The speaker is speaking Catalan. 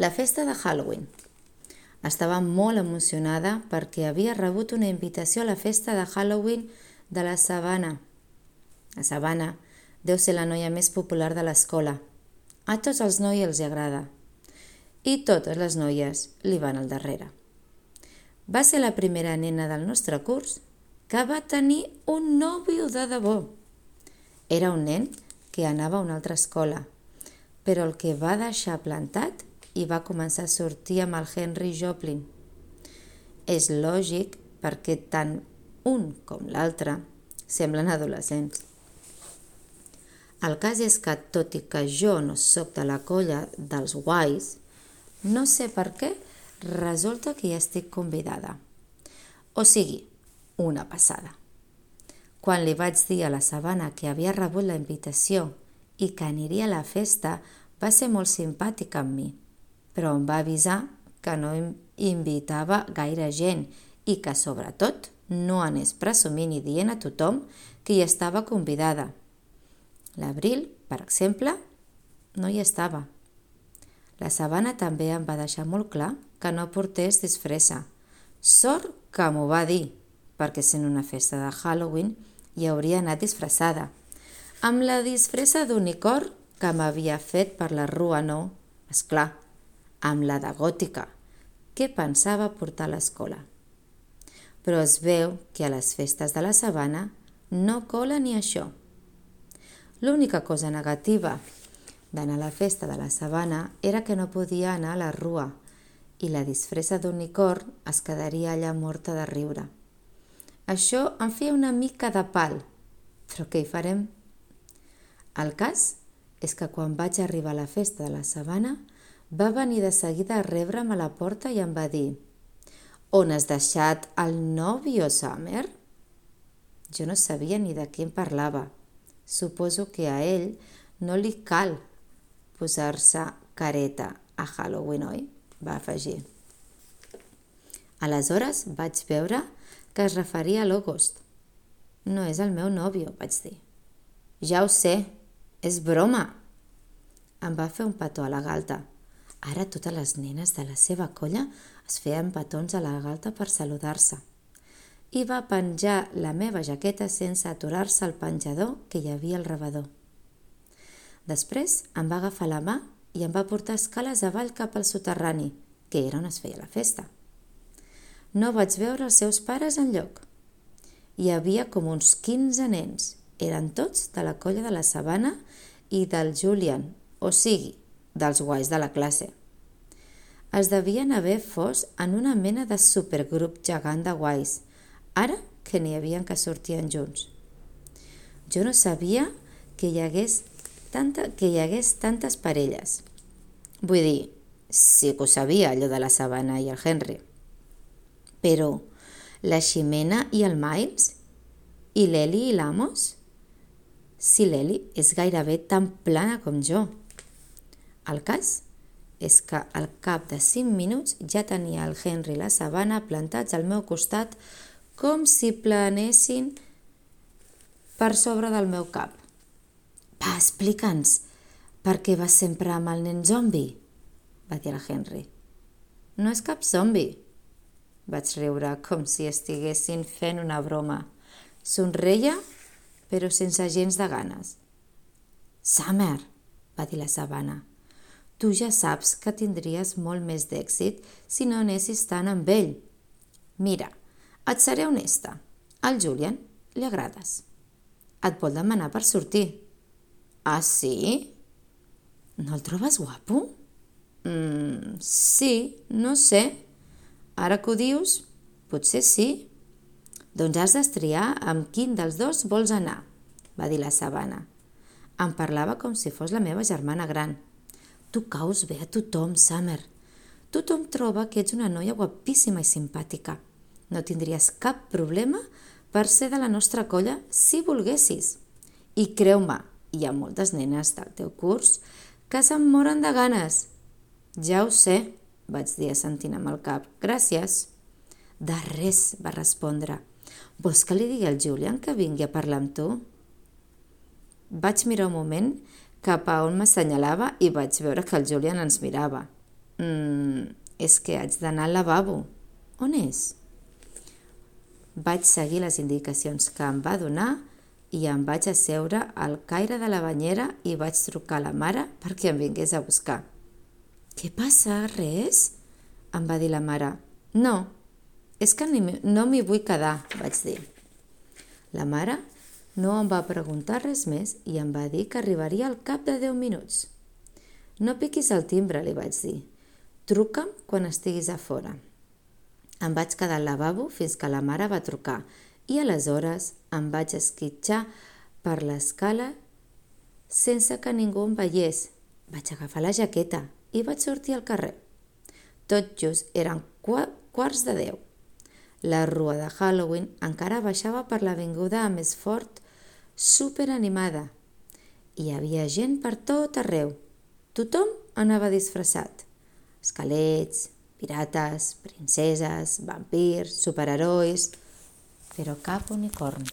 La festa de Halloween. Estava molt emocionada perquè havia rebut una invitació a la festa de Halloween de la Savannah. La Savannah deu ser la noia més popular de l'escola. A tots els nois els agrada. I totes les noies li van al darrere. Va ser la primera nena del nostre curs que va tenir un nòvio de debò. Era un nen que anava a una altra escola, però el que va deixar plantat i va començar a sortir amb el Henry Joplin. És lògic perquè tant un com l'altre semblen adolescents. El cas és que, tot i que jo no sóc de la colla dels guais, no sé per què resulta que ja estic convidada. O sigui, una passada. Quan li vaig dir a la Savannah que havia rebut la invitació i que aniria a la festa, va ser molt simpàtica amb mi, però em va avisar que no invitava gaire gent i que, sobretot, no anés presumint i dient a tothom que hi estava convidada. L'Abril, per exemple, no hi estava. La Savannah també em va deixar molt clar que no portés disfressa. Sort que m'ho va dir, perquè sent una festa de Halloween hi hauria anat disfressada, amb la disfressa d'unicorn que m'havia fet per la rua no, esclar, amb la de gòtica, que pensava portar a l'escola. Però es veu que a les festes de la Savannah no cola ni això. L'única cosa negativa d'anar a la festa de la Savannah era que no podia anar a la rua i la disfressa d'unicorn es quedaria allà morta de riure. Això em feia una mica de pal, però què hi farem? El cas és que quan vaig arribar a la festa de la Savannah va venir de seguida a rebre'm a la porta i em va dir: «On has deixat el nòvio, Summer?» Jo no sabia ni de què em parlava. Suposo que a ell no li cal posar-se careta a Halloween, oi? Va afegir. Aleshores vaig veure que es referia a l'August. «No és el meu nòvio», vaig dir. «Ja ho sé, és broma». Em va fer un petó a la galta. Ara totes les nenes de la seva colla es feien petons a la galta per saludar-se. I va penjar la meva jaqueta sense aturar-se al penjador que hi havia al rebedor. Després em va agafar la mà i em va portar escales avall cap al soterrani, que era on es feia la festa. No vaig veure els seus pares enlloc. Hi havia com uns 15 nens. Eren tots de la colla de la Savannah i del Julian, o sigui, dels guais de la classe. Es devien haver fos en una mena de supergrup gegant de guais, ara que n'hi havia que sortien junts. Jo no sabia que hi hagués tantes parelles. Vull dir, sí que ho sabia, allò de la Savannah i el Henry. Però la Ximena i el Miles? I l'Eli i l'Amos? Si l'Eli és gairebé tan plana com jo. El cas és que al cap de 5 minuts ja tenia el Henry i la Savannah plantats al meu costat com si planessin per sobre del meu cap. «Va, explica'ns, per què vas sempre amb el nen zombi?» va dir el Henry. «No és cap zombi», vaig riure com si estiguessin fent una broma. Somreia, però sense gens de ganes. «Summer», va dir la Savannah, «tu ja saps que tindries molt més d'èxit si no anessis tant amb ell. Mira, et seré honesta, al Julian li agrades. Et vol demanar per sortir». «Ah, sí? No el trobes guapo?» Sí, no sé. Ara que ho dius, potser sí». «Doncs has d'estriar amb quin dels dos vols anar», va dir la Savannah. Em parlava com si fos la meva germana gran. «Tu caus bé a tothom, Summer. Tothom troba que ets una noia guapíssima i simpàtica. No tindries cap problema per ser de la nostra colla si volguessis. I creu-me, hi ha moltes nenes del teu curs que se'n moren de ganes». «Ja ho sé», vaig dir assentint amb el cap. «Gràcies». «De res», va respondre. «Vols que li digui al Julian que vingui a parlar amb tu?» Vaig mirar un moment cap a on m'assenyalava i vaig veure que el Julian ens mirava. És que haig d'anar al lavabo. On és? Vaig seguir les indicacions que em va donar i em vaig asseure al caire de la banyera i vaig trucar a la mare perquè em vingués a buscar. «Què passa? Res?» em va dir la mare. «No, és que no m'hi vull quedar», vaig dir. La mare no em va preguntar res més i em va dir que arribaria al cap de 10 minuts. «No piquis el timbre», li vaig dir. «Truca'm quan estiguis a fora». Em vaig quedar al lavabo fins que la mare va trucar i aleshores em vaig esquitxar per l'escala sense que ningú em veiés. Vaig agafar la jaqueta i vaig sortir al carrer. Tot just eren 9:15. La rua de Halloween encara baixava per l'avinguda més fort, superanimada. Hi havia gent per tot arreu. Tothom anava disfressat. Esquelets, pirates, princeses, vampirs, superherois, però cap unicorn.